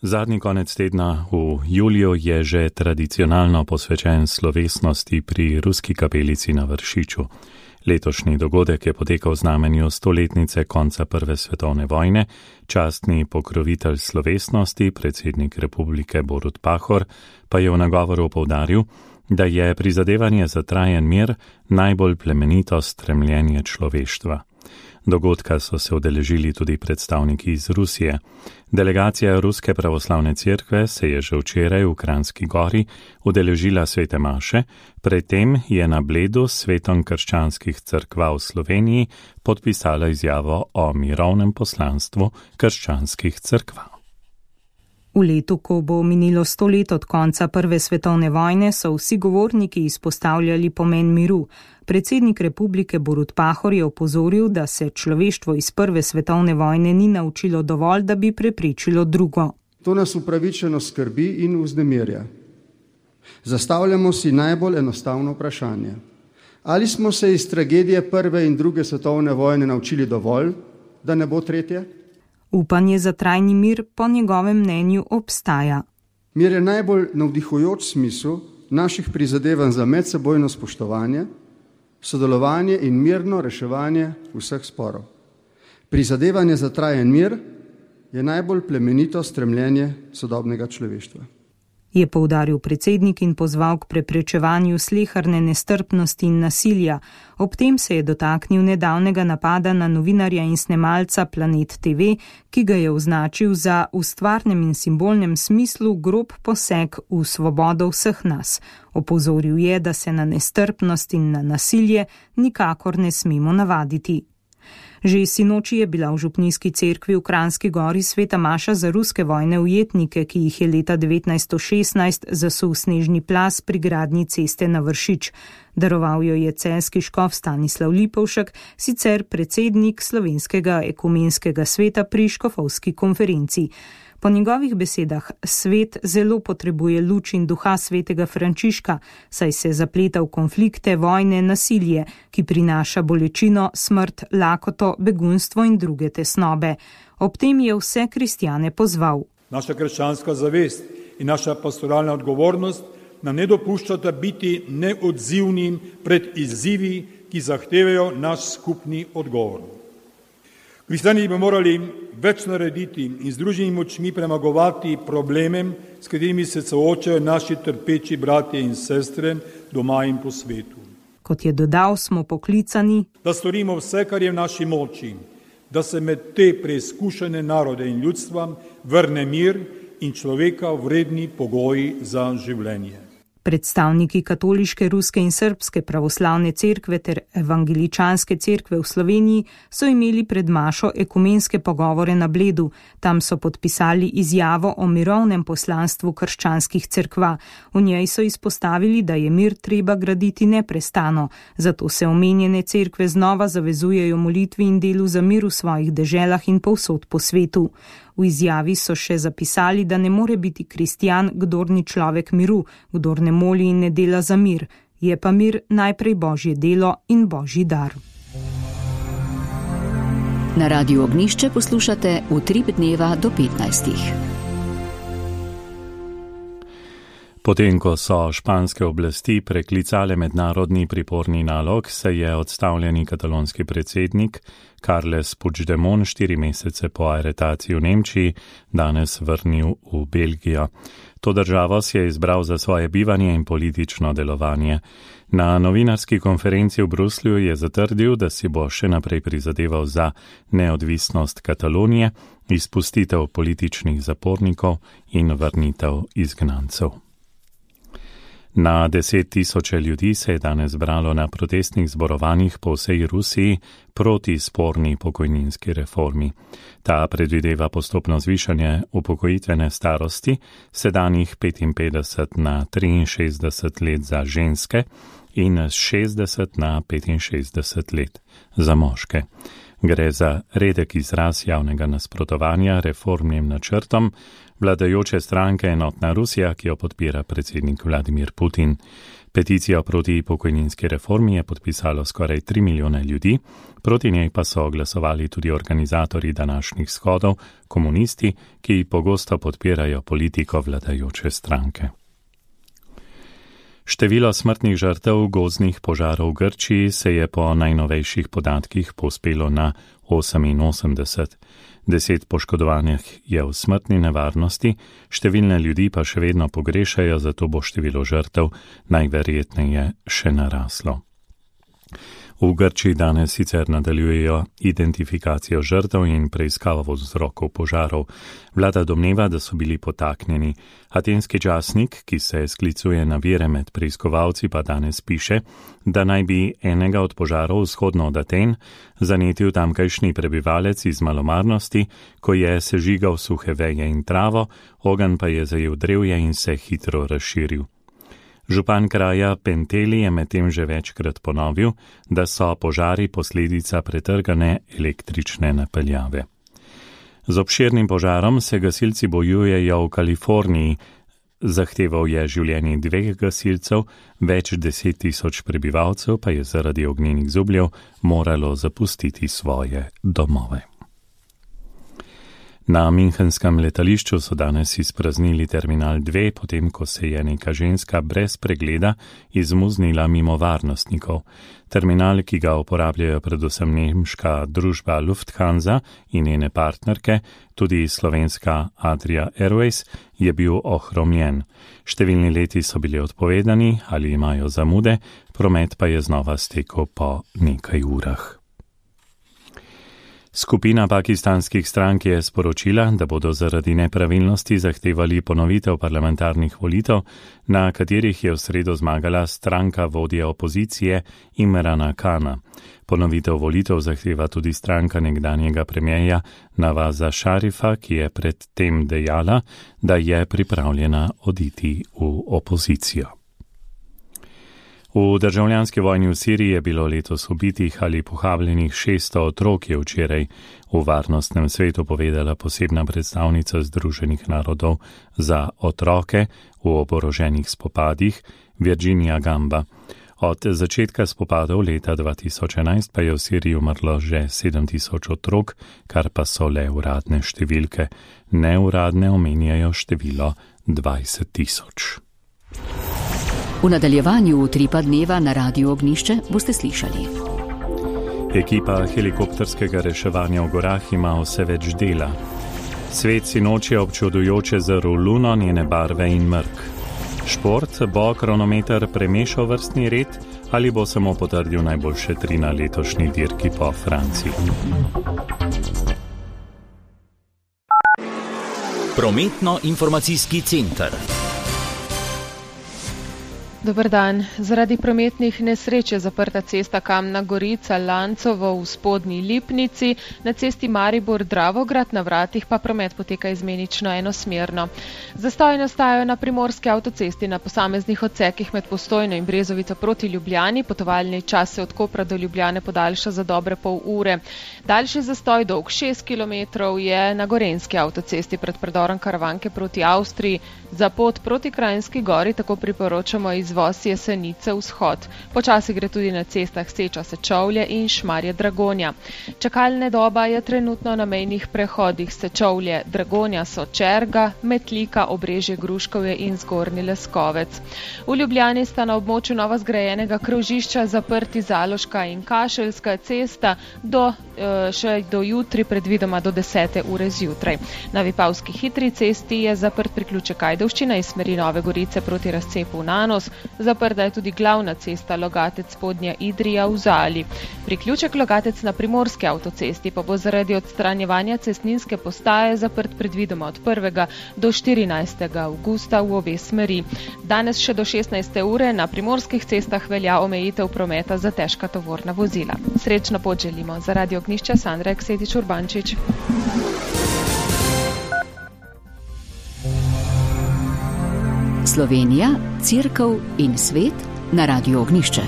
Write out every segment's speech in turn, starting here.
Zadnji konec tedna v juliju je že tradicionalno posvečen slovesnosti pri Ruski kapelici na Vršiču. Letošnji dogodek je potekal v znamenju 100-letnice konca Prve svetovne vojne. Častni pokrovitelj slovesnosti, predsednik republike Borut Pahor, pa je v nagovoru poudaril, da je prizadevanje za trajen mir najbolj plemenito stremljenje človeštva. Dogodka so se udeležili tudi predstavniki iz Rusije. Delegacija Ruske pravoslavne cerkve se je že včeraj v Kranjski Gori udeležila svete maše, predtem je na Bledu s svetom krščanskih cerkva v Sloveniji podpisala izjavo o mirovnem poslanstvu krščanskih cerkva. V letu, ko bo minilo 100 let od konca Prve svetovne vojne, so vsi govorniki izpostavljali pomen miru. Predsednik republike Borut Pahor je opozoril, da se človeštvo iz Prve svetovne vojne ni naučilo dovolj, da bi preprečilo drugo. To nas upravičeno skrbi in vznemirja. Zastavljamo si najbolj enostavno vprašanje. Ali smo se iz tragedije Prve in Druge svetovne vojne naučili dovolj, da ne bo tretje? Upanje za trajni mir po njegovem mnenju obstaja. Mir je najbolj navdihujoč smisel naših prizadevanj za medsebojno spoštovanje, sodelovanje in mirno reševanje vseh sporov. Prizadevanje za trajen mir je najbolj plemenito stremljenje sodobnega človeštva. Je poudaril predsednik in pozval k preprečevanju sleherne nestrpnosti in nasilja. Ob tem se je dotaknil nedavnega napada na novinarja in snemalca Planet TV, ki ga je označil za v stvarnem in simbolnem smislu grob poseg v svobodo vseh nas. Opozoril je, da se na nestrpnost in na nasilje nikakor ne smemo navaditi. Že sinoči je bila v župnijski cerkvi v Kranjski Gori sveta maša za ruske vojne ujetnike, ki jih je leta 1916 zasul snežni plaz pri gradnji ceste na Vršič. Daroval jo je celjski škof Stanislav Lipovšek, sicer predsednik Slovenskega ekumenskega sveta pri škofovski konferenci. Po njegovih besedah svet zelo potrebuje luč in duha svetega Frančiška, saj se zapleta v konflikte, vojne, nasilje, ki prinaša bolečino, smrt, lakoto, begunstvo in druge tesnobe. Ob tem je vse kristjane pozval. Naša krščanska zavest in naša pastoralna odgovornost nam ne dopuščata biti neodzivni pred izzivi, ki zahtevajo naš skupni odgovor. Kristjani bi morali več narediti in z združenimi močmi premagovati probleme, s katerimi se soočajo naši trpeči bratje in sestre doma in po svetu. Kot je dodal, smo poklicani, da storimo vse, kar je v naši moči, da se med te preizkušene narode in ljudstva vrne mir in človeka vredni pogoji za življenje. Predstavniki katoliške, ruske in srbske pravoslavne cerkve ter evangeličanske cerkve v Sloveniji so imeli pred mašo ekumenske pogovore na Bledu. Tam so podpisali izjavo o mirovnem poslanstvu krščanskih cerkva. V njej so izpostavili, da je mir treba graditi neprestano, zato se omenjene cerkve znova zavezujejo molitvi in delu za mir v svojih deželah in povsod po svetu. V izjavi so še zapisali, da ne more biti kristjan, kdor ni človek miru, kdor ne moli in ne dela za mir. Je pa mir najprej božje delo in božji dar. Na Radiu Ognjišče poslušate Utrip dneva do 15. Potem, ko so španske oblasti preklicale mednarodni priporni nalog, se je odstavljeni katalonski predsednik Carles Puigdemont 4 mesece po aretaciji v Nemčiji danes vrnil v Belgijo. To državo si je izbral za svoje bivanje in politično delovanje. Na novinarski konferenci v Bruslju je zatrdil, da si bo še naprej prizadeval za neodvisnost Katalonije, izpustitev političnih zapornikov in vrnitev izgnancev. Na 10 000 ljudi se je danes zbralo na protestnih zborovanjih po vsej Rusiji proti sporni pokojninski reformi. Ta predvideva postopno zvišanje upokojitvene starosti, sedanjih 55 na 63 let za ženske in 60 na 65 let za moške. Gre za redek izraz javnega nasprotovanja reformnim načrtom vladajoče stranke Enotna Rusija, ki jo podpira predsednik Vladimir Putin. Peticijo proti pokojninski reformi je podpisalo skoraj 3 milijone ljudi, proti njej pa so glasovali tudi organizatorji današnjih shodov, komunisti, ki pogosto podpirajo politiko vladajoče stranke. Število smrtnih žrtev gozdnih požarov v Grčiji se je po najnovejših podatkih povzpelo na 88. 10 poškodovanih je v smrtni nevarnosti, številne ljudi pa še vedno pogrešajo, zato bo število žrtev najverjetneje še naraslo. V Grčiji danes sicer nadaljujejo identifikacijo žrtev in preiskavo vzrokov požarov. Vlada domneva, da so bili potaknjeni. Atenski časnik, ki se sklicuje na vire med preiskovalci, pa danes piše, da naj bi enega od požarov vzhodno od Aten zanetil tamkajšnji prebivalec iz malomarnosti, ko je sežigal suhe veje in travo, ogenj pa je zajel drevje in se hitro razširil. Župan kraja Penteli je medtem že večkrat ponovil, da so požari posledica pretrgane električne napeljave. Z obširnim požarom se gasilci bojujejo v Kaliforniji. Zahteval je življenje 2 gasilcev, več 10 000 prebivalcev pa je zaradi ognjenih zubljev moralo zapustiti svoje domove. Na Münchenskem letališču so danes izpraznili terminal 2, potem ko se je neka ženska brez pregleda izmuznila mimo varnostnikov. Terminal, ki ga uporabljajo predvsem nemška družba Lufthansa in njene partnerke, tudi slovenska Adria Airways, je bil ohromljen. Številni leti so bili odpovedani ali imajo zamude, promet pa je znova stekel po nekaj urah. Skupina pakistanskih strank je sporočila, da bodo zaradi nepravilnosti zahtevali ponovitev parlamentarnih volitev, na katerih je v sredo zmagala stranka vodje opozicije Imrana Kana. Ponovitev volitev zahteva tudi stranka nekdanjega premierja Navaza Šarifa, ki je predtem dejala, da je pripravljena oditi v opozicijo. V državljanski vojni v Siriji je bilo letos ubitih ali pohabljenih 600 otrok, je včeraj v Varnostnem svetu povedala posebna predstavnica Združenih narodov za otroke v oboroženih spopadih Virginia Gamba. Od začetka spopadov leta 2011 pa je v Siriji umrlo že 7000 otrok, kar pa so le uradne številke. Neuradne omenjajo število 20 000. V nadaljevanju Utripa dneva na Radiu Ognjišče boste slišali. Ekipa helikopterskega reševanja v gorah ima vse več dela. Svet sinoči občudujoče zrl luno, njene barve in mrk. Šport bo kronometer premešal vrstni red ali bo samo potrdil najboljše 3 na letošnji dirki po Franciji. Prometno-informacijski center. Dober dan. Zaradi prometnih nesreč je zaprta cesta Kamna Gorica Lancovo v Spodnji Lipnici, na cesti Maribor-Dravograd na vratih pa promet poteka izmenično enosmerno. Zastoji nastajajo na primorski avtocesti na posameznih odsekih med Postojno in Brezovico proti Ljubljani, potovalni čas se od Kopra do Ljubljane podaljša za dobre pol ure. Daljši zastoj dolg 6 km je na Gorenjski avtocesti pred predorom Karavanke proti Avstriji. Za pot proti Kranjski Gori tako priporočamo izvoz Jesenice vzhod. Počasi gre tudi na cestah Seča-Sečovlje in Šmarje-Dragonja. Čakalne doba je trenutno na mejnih prehodih Sečovlje-Dragonja Sočerga, Metlika, Obrežje-Gruškovje in Zgornji Leskovec. V Ljubljani sta na območju novo zgrajenega krožišča zaprti Zaloška in Kašeljska cesta še do jutri, predvidoma do 10. ure zjutraj. Na Vipavski hitri cesti je zaprt priključek Ajdovščina iz smeri Nove Gorice proti razcepu v Nanos. Zaprta je tudi glavna cesta Logatec Spodnja Idrija v Zali. Priključek Logatec na primorski avtocesti pa bo zaradi odstranjevanja cestninske postaje zaprt predvidoma od 1. do 14. avgusta v obe smeri. Danes še do 16. ure na primorskih cestah velja omejitev prometa za težka tovorna vozila. Srečno pot želimo. Za Radio Ognjišče Sandra Eksetič Urbančič. Slovenija, Cerkev in svet na Radiu Ognjišče.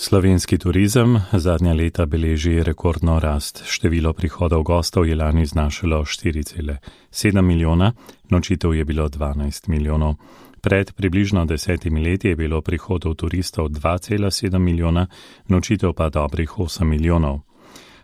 Slovenski turizem zadnja leta beleži rekordno rast. Število prihodov gostov je lani znašalo 4,7 milijona, nočitev je bilo 12 milijonov. Pred približno 10 leti je bilo prihodov turistov 2,7 milijona, nočitev pa dobrih 8 milijonov.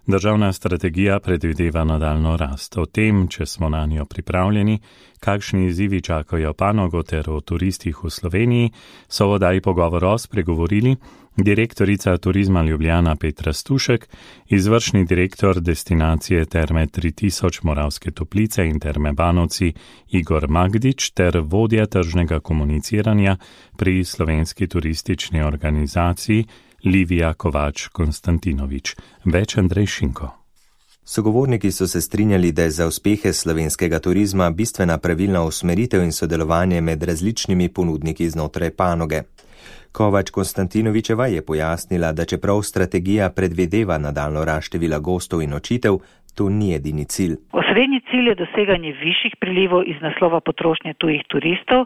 Državna strategija predvideva nadaljno rast. O tem, če smo na njo pripravljeni, kakšni izzivi čakajo panogo ter o turistih v Sloveniji, so v oddaji Pogovor spregovorili direktorica Turizma Ljubljana Petra Stušek, izvršni direktor destinacije Terme 3000 Moravske Toplice in Terme Banovci Igor Magdič ter vodja tržnega komuniciranja pri Slovenski turistični organizaciji Livija Kovač-Konstantinovič. Več Andrej Šinko. Sogovorniki so se strinjali, da je za uspehe slovenskega turizma bistvena pravilna usmeritev in sodelovanje med različnimi ponudniki znotraj panoge. Kovač-Konstantinovičeva je pojasnila, da čeprav strategija predvideva nadaljnjo rast števila gostov in nočitev, to ni edini cilj. Osrednji cilj je doseganje višjih prilivov iz naslova potrošnje tujih turistov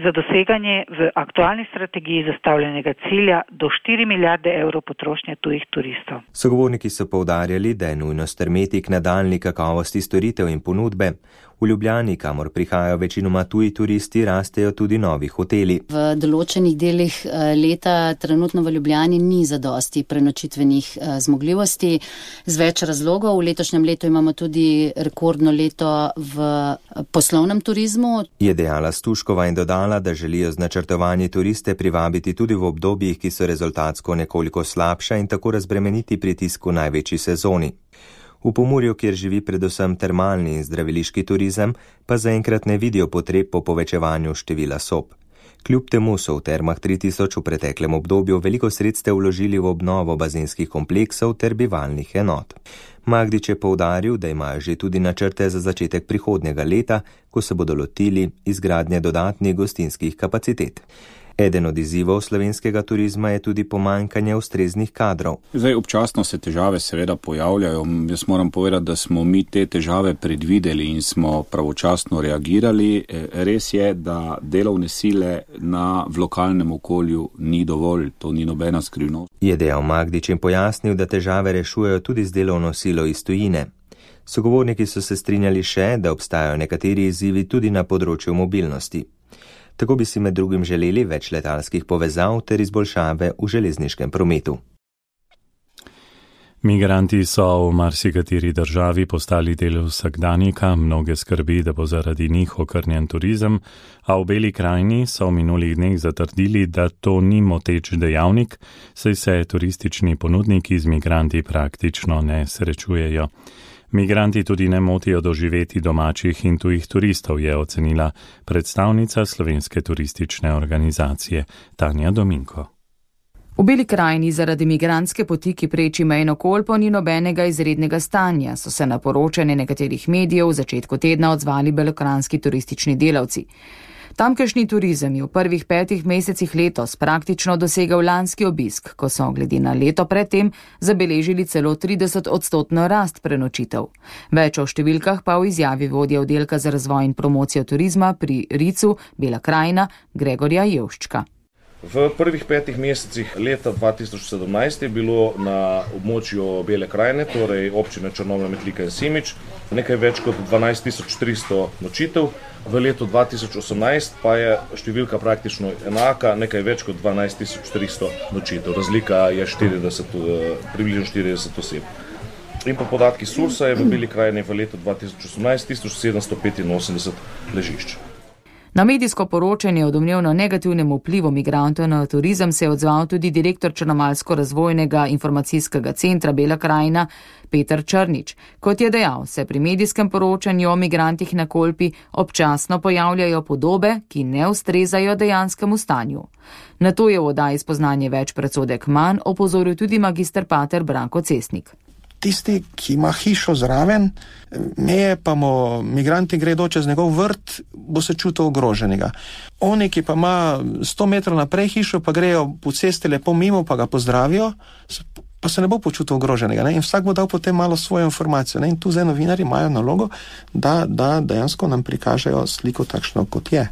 za doseganje v aktualni strategiji zastavljenega cilja do 4 milijarde evrov potrošnje tujih turistov. Sogovorniki so poudarjali, da je nujno stremeti k nadaljnji kakovosti storitev in ponudbe. V Ljubljani, kamor prihajajo večinoma tuji turisti, rastejo tudi novi hoteli. V določenih delih leta trenutno v Ljubljani ni zadosti prenočitvenih zmogljivosti z več razlogov. V letošnjem letu imamo tudi rekordno leto v poslovnem turizmu. Je dejala Stuškova in dodala, da želijo z načrtovanji turiste privabiti tudi v obdobjih, ki so rezultatsko nekoliko slabša in tako razbremeniti pritisk v največji sezoni. V Pomurju, kjer živi predvsem termalni in zdraviliški turizem, pa zaenkrat ne vidijo potreb po povečevanju števila sob. Kljub temu so v Termah 3000 v preteklem obdobju veliko sredstev vložili v obnovo bazenskih kompleksov ter bivalnih enot. Magdič je poudaril, da imajo že tudi načrte za začetek prihodnjega leta, ko se bodo lotili izgradnje dodatnih gostinskih kapacitet. Eden od izzivov slovenskega turizma je tudi pomanjkanje ustreznih kadrov. Občasno se težave seveda pojavljajo. Jaz moram povedati, da smo mi te težave predvideli in smo pravočasno reagirali. Res je, da delovne sile v lokalnem okolju ni dovolj, to ni nobena skrivnost. Je dejal Magdič in pojasnil, da težave rešujejo tudi z delovno silo iz tujine. Sogovorniki so se strinjali še, da obstajajo nekateri izzivi tudi na področju mobilnosti. Tako bi si med drugim želeli več letalskih povezav ter izboljšave v železniškem prometu. Migranti so v marsikateri državi postali del vsakdanjika, mnoge skrbi, da bo zaradi njih okrnjen turizem, a v Beli krajini so v minulih dneh zatrdili, da to ni moteč dejavnik, saj se turistični ponudniki z migranti praktično ne srečujejo. Migranti tudi ne motijo doživeti domačih in tujih turistov, je ocenila predstavnica Slovenske turistične organizacije Tanja Dominko. V Beli krajini zaradi migrantske poti, ki preči mejno Kolpo, ni nobenega izrednega stanja, so se na poročanje nekaterih medijev v začetku tedna odzvali belokranjski turistični delavci. Tamkajšnji turizem je v prvih 5 mesecih letos praktično dosegal lanski obisk, ko so glede na leto predtem zabeležili celo 30% rast prenočitev. Več o številkah pa v izjavi vodje oddelka za razvoj in promocijo turizma pri RIC-u Bela krajina Gregorja Jevščka. V prvih 5 mesecih leta 2017 je bilo na območju Bele krajine, torej občine Črnomlja, Metlika in Semič, nekaj več kot 12.300 nočitev. V letu 2018 pa je številka praktično enaka, nekaj več kot 12.300 nočitev. Razlika je približno 40 oseb. In po podatki Sursa je v Beli krajini v letu 2018 1785 ležišč. Na medijsko poročanje o domnevno negativnem vplivu migrantov na turizem se je odzval tudi direktor Črnomaljsko-razvojnega informacijskega centra Bela krajina Peter Črnič. Kot je dejal, se pri medijskem poročanju o migrantih na Kolpi občasno pojavljajo podobe, ki ne ustrezajo dejanskemu stanju. Na to je v oddaji Spoznanje več predsodek manj opozoril tudi magister pater Branko Cesnik. Tisti, ki ima hišo zraven, meje pa mu migranti gredo čez njegov vrt, bo se čutil ogroženega. Oni, ki pa ima 100 metrov naprej hišo, pa grejo po cesti lepo mimo, pa ga pozdravijo, pa se ne bo počutil ogroženega. Ne? In vsak bo dal potem malo svojo informacijo. Ne? In tu zdaj novinarji imajo nalogo, da dejansko nam prikažejo sliko takšno, kot je.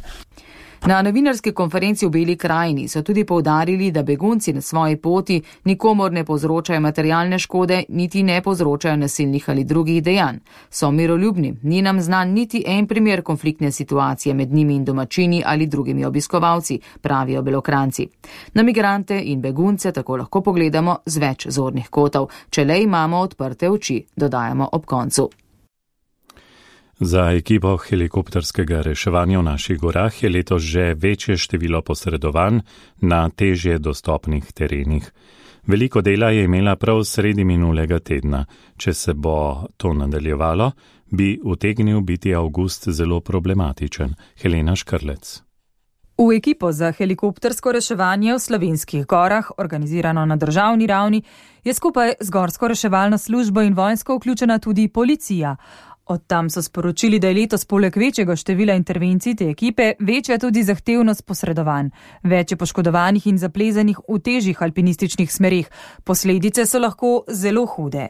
Na novinarski konferenci v Beli krajini so tudi poudarili, da begunci na svoji poti nikomor ne povzročajo materialne škode, niti ne povzročajo nasilnih ali drugih dejanj. So miroljubni, ni nam znan niti en primer konfliktne situacije med njimi in domačini ali drugimi obiskovalci, pravijo Belokranjci. Na migrante in begunce tako lahko pogledamo z več zornih kotov, če le imamo odprte oči, dodajamo ob koncu. Za ekipo helikopterskega reševanja v naših gorah je letos že večje število posredovanj na težje dostopnih terenih. Veliko dela je imela prav sredi minulega tedna. Če se bo to nadaljevalo, bi utegnil biti avgust zelo problematičen. Helena Škrlec. V ekipo za helikoptersko reševanje v Slovenskih gorah, organizirano na državni ravni, je skupaj z Gorsko reševalno službo in vojsko vključena tudi policija. Od tam so sporočili, da je letos poleg večjega števila intervencij te ekipe večja tudi zahtevnost posredovanj. Več je poškodovanih in zaplezanih v težjih alpinističnih smerih. Posledice so lahko zelo hude.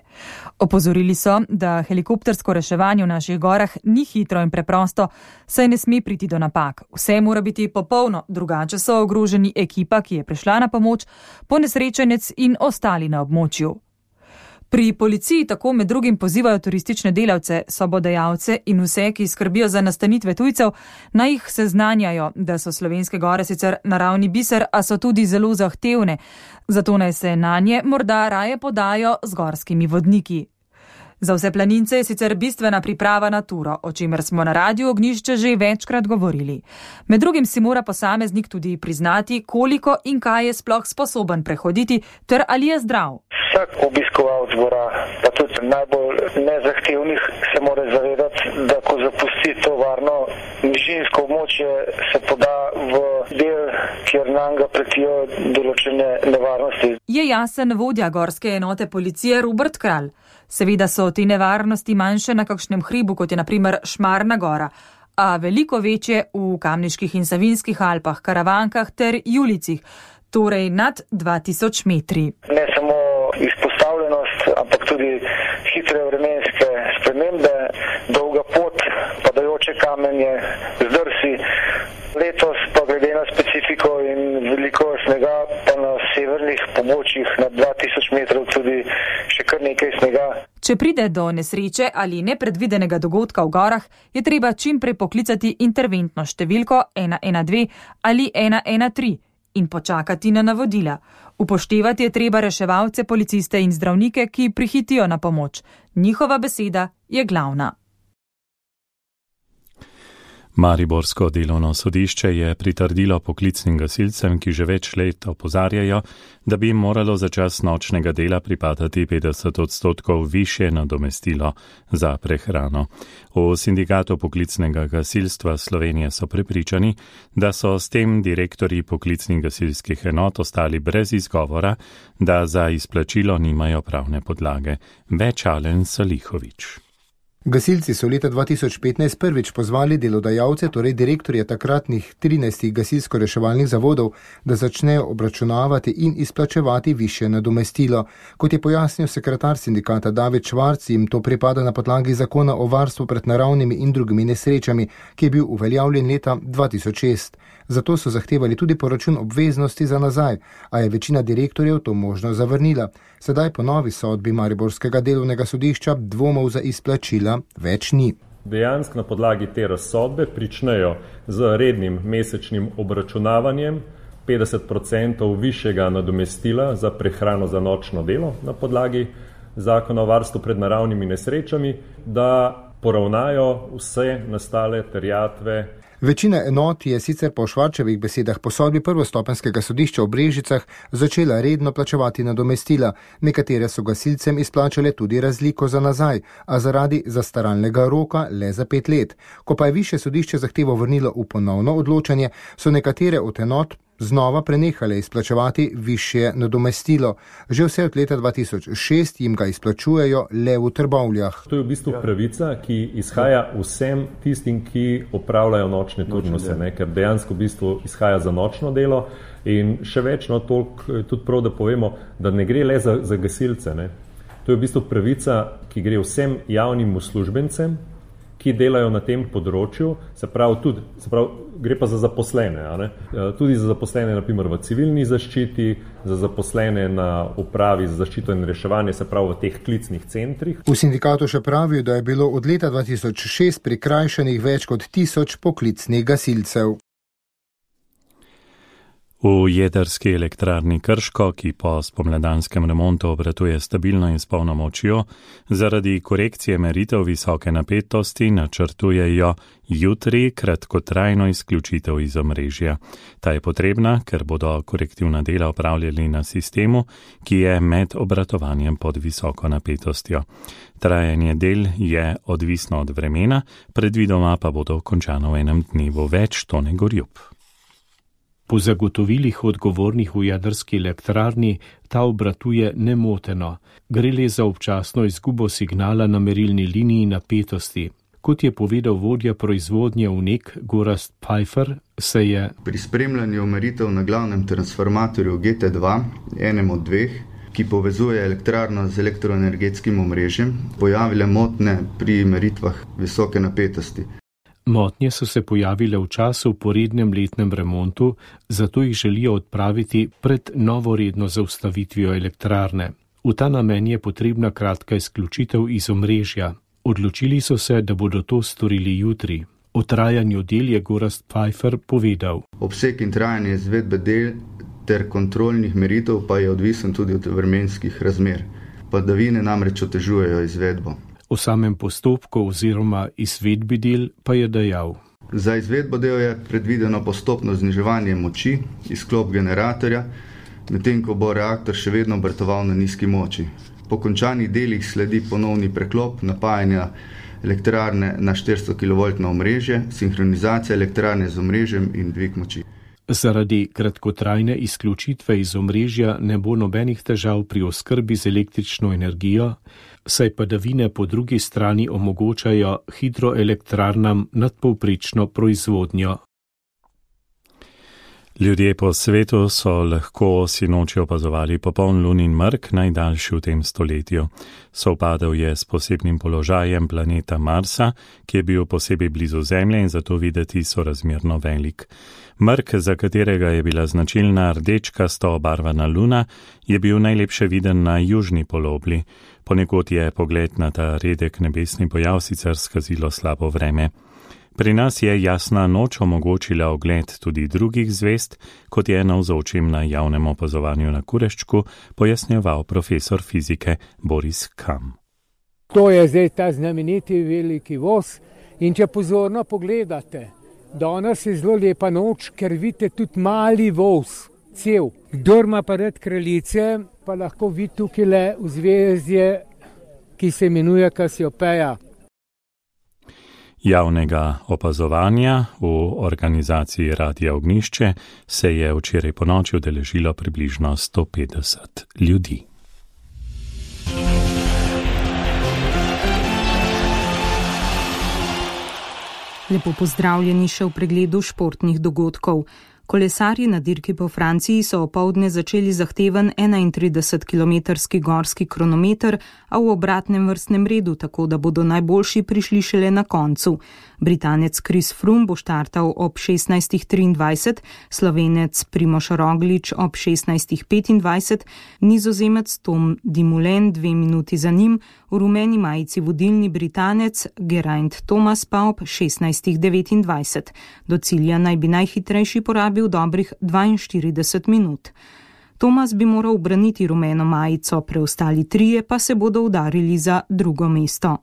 Opozorili so, da helikoptersko reševanje v naših gorah ni hitro in preprosto, saj ne sme priti do napak. Vse mora biti popolno, drugače so ogroženi ekipa, ki je prišla na pomoč, ponesrečenec in ostali na območju. Pri policiji tako med drugim pozivajo turistične delavce, sobodajalce in vse, ki skrbijo za nastanitve tujcev, naj jih seznanjajo, da so Slovenske gore sicer naravni biser, a so tudi zelo zahtevne, zato naj se nanje morda raje podajo z gorskimi vodniki. Za vse planince je sicer bistvena priprava na turo, o čemer smo na Radiu Ognjišče že večkrat govorili. Med drugim si mora posameznik tudi priznati, koliko in kaj je sploh sposoben prehoditi, ter ali je zdrav. Vsak obiskovalec gora, pa tudi najbolj nezahtevnih, se mora zavedati, da ko zapusti to varno nižinsko območje, se poda v del, kjer nam ga pretijo določene nevarnosti. Je jasen vodja gorske enote policije Robert Kralj. Seveda so te nevarnosti manjše na kakšnem hribu, kot je na primer Šmarna gora, a veliko večje v Kamniških in Savinjskih Alpah, Karavankah ter Julicih, torej nad 2000 metri. Ne samo izpostavljenost, ampak tudi hitre vremenske spremembe, dolga pot, padajoče kamenje, zdrsi. Letos pa glede na specifiko in veliko snega, pa na severnih pobočjih na 2000 metrov tudi še kar nekaj snega. Če pride do nesreče ali nepredvidenega dogodka v gorah, je treba čim prej poklicati interventno številko 112 ali 113 in počakati na navodila. Upoštevati je treba reševalce, policiste in zdravnike, ki prihitijo na pomoč. Njihova beseda je glavna. Mariborsko delovno sodišče je pritrdilo poklicnim gasilcem, ki že več let opozarjajo, da bi jim moralo za čas nočnega dela pripadati 50% višje nadomestilo za prehrano. V sindikatu poklicnega gasilstva Slovenije so prepričani, da so s tem direktorji poklicnih gasilskih enot ostali brez izgovora, da za izplačilo nimajo pravne podlage. Več Alen Salihovič. Gasilci so leta 2015 prvič pozvali delodajalce, torej direktorje takratnih 13 gasilsko-reševalnih zavodov, da začnejo obračunavati in izplačevati višje nadomestilo. Kot je pojasnil sekretar sindikata David Švarc, jim to pripada na podlagi zakona o varstvu pred naravnimi in drugimi nesrečami, ki je bil uveljavljen leta 2006. Zato so zahtevali tudi poračun obveznosti za nazaj, a je večina direktorjev to možnost zavrnila. Sedaj po novi sodbi Mariborskega delovnega sodišča dvomov za izplačila več ni. Dejansko na podlagi te razsodbe pričnejo z rednim mesečnim obračunavanjem 50% višjega nadomestila za prehrano za nočno delo na podlagi zakona o varstvu pred naravnimi nesrečami, da poravnajo vse nastale terjatve. Večina enot je sicer po Švarčevih besedah po sodbi prvostopenskega sodišča v Brežicah začela redno plačevati nadomestila. Nekatere so gasilcem izplačale tudi razliko za nazaj, a zaradi zastaralnega roka le za 5 let. Ko pa je višje sodišče zahtevo vrnilo v ponovno odločanje, so nekatere od enot znova prenehale izplačevati višje nadomestilo. Že vse od leta 2006 jim ga izplačujejo le v Trbovljah. To je v bistvu pravica, ki izhaja vsem tistim, ki opravljajo nočne turnuse, ker dejansko v bistvu izhaja za nočno delo in še več, toliko tudi prav, da povemo, da ne gre le za gasilce. To je v bistvu pravica, ki gre vsem javnim uslužbencem, ki delajo na tem področju, se pravi, gre pa za zaposlene, tudi za zaposlene naprimer v civilni zaščiti, za zaposlene na upravi za zaščito in reševanje, se pravi v teh klicnih centrih. V sindikatu še pravijo, da je bilo od leta 2006 prikrajšanih več kot 1000 poklicnih gasilcev. V jedrski elektrarni Krško, ki po spomladanskem remontu obratuje stabilno in s polno močjo, zaradi korekcije meritev visoke napetosti načrtujejo jutri kratkotrajno izključitev iz omrežja. Ta je potrebna, ker bodo korektivna dela opravljali na sistemu, ki je med obratovanjem pod visoko napetostjo. Trajanje del je odvisno od vremena, predvidoma pa bodo končano v enem dnevu. Več Tone Gorjup. Po zagotovilih odgovornih v jedrski elektrarni ta obratuje nemoteno. Gre le za občasno izgubo signala na merilni liniji napetosti. Kot je povedal vodja proizvodnje UNEK Gorazd Pfeiffer, se je pri spremljanju meritev na glavnem transformatorju GT2, enem od dveh, ki povezuje elektrarno z elektroenergetskim omrežjem, pojavile motnje pri meritvah visoke napetosti. Motnje so se pojavile v času po rednem letnem remontu, zato jih želijo odpraviti pred novoredno zaustavitvijo elektrarne. V ta namen je potrebna kratka izključitev iz omrežja. Odločili so se, da bodo to storili jutri. O trajanju del je Gorazd Pfeiffer povedal. Obseg in trajanje izvedbe del ter kontrolnih meritev pa je odvisen tudi od vremenskih razmer. Padavine namreč otežujejo izvedbo. O samem postopku oziroma izvedbi del pa je dejal. Za izvedbo del je predvideno postopno zniževanje moči, izklop generatorja, medtem ko bo reaktor še vedno obratoval na nizki moči. Po končanih delih sledi ponovni preklop napajanja elektrarne na 400 kV omrežje, sinhronizacija elektrarne z omrežjem in dvig moči. Zaradi kratkotrajne izključitve iz omrežja ne bo nobenih težav pri oskrbi z električno energijo, saj padavine po drugi strani omogočajo hidroelektrarnam nadpovprečno proizvodnjo. Ljudje po svetu so lahko sinoči opazovali popoln lunin mrk, najdaljši v tem stoletju. Sovpadal je s posebnim položajem planeta Marsa, ki je bil posebej blizu Zemlje in zato videti sorazmerno velik. Mrk, za katerega je bila značilna rdečkasto obarvana luna, je bil najlepše viden na južni polobli. Ponekod je pogled na ta redek nebesni pojav sicer skazilo slabo vreme. Pri nas je jasna noč omogočila ogled tudi drugih zvezd, kot je navzočim na javnem opazovanju na Kureščku pojasnjeval profesor fizike Boris Kam. To je zdaj ta znameniti veliki voz in če pozorno pogledate, danes je zelo lepa noč, ker vidite tudi mali voz, cel. Kdor ima pa rad kraljice, pa lahko vidi tukaj le v zvezdje, ki se imenuje Kasiopeja. Javnega opazovanja v organizaciji Radia Ognjišče se je včeraj ponoči udeležilo približno 150 ljudi. Lepo pozdravljeni še v pregledu športnih dogodkov. Kolesarji na dirki po Franciji so opoldne začeli zahteven 31-kilometrski gorski kronometer, a v obratnem vrstnem redu, tako da bodo najboljši prišli šele na koncu. Britanec Chris Froome bo štartal ob 16:23, Slovenec Primož Roglič ob 16:25, Nizozemec Tom Dumoulin 2 minuti za njim, v rumeni majici vodilni Britanec Geraint Thomas pa ob 16:29. Do cilja naj bi najhitrejši porabil dobrih 42 minut. Thomas bi moral ubraniti rumeno majico, preostali trije pa se bodo udarili za drugo mesto.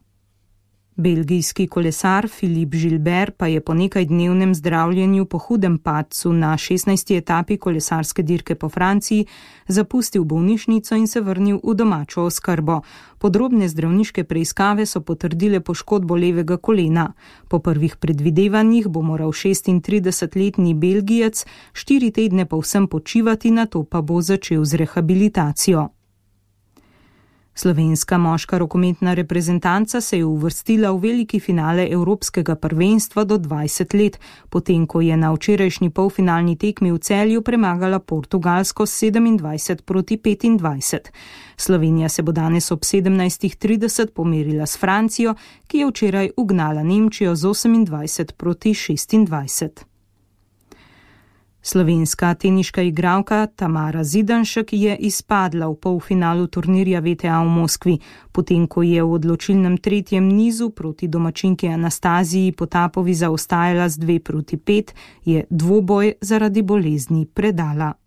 Belgijski kolesar Philippe Gilbert pa je po nekajdnevnem zdravljenju po hudem padcu na 16. etapi kolesarske dirke po Franciji zapustil bolnišnico in se vrnil v domačo oskrbo. Podrobne zdravniške preiskave so potrdile poškodbo levega kolena. Po prvih predvidevanjih bo moral 36-letni Belgijec 4 tedne povsem počivati, nato pa bo začel z rehabilitacijo. Slovenska moška rokometna reprezentanca se je uvrstila v veliki finale Evropskega prvenstva do 20 let, potem ko je na včerajšnji polfinalni tekmi v Celju premagala Portugalsko 27-25. Slovenija se bo danes ob 17:30 pomerila s Francijo, ki je včeraj ugnala Nemčijo z 28-26. Slovenska teniška igralka Tamara Zidanšek je izpadla v polfinalu turnirja WTA v Moskvi, potem ko je v odločilnem tretjem nizu proti domačinki Anastaziji Potapovi zaostajala z 2-5, je dvoboj zaradi bolezni predala.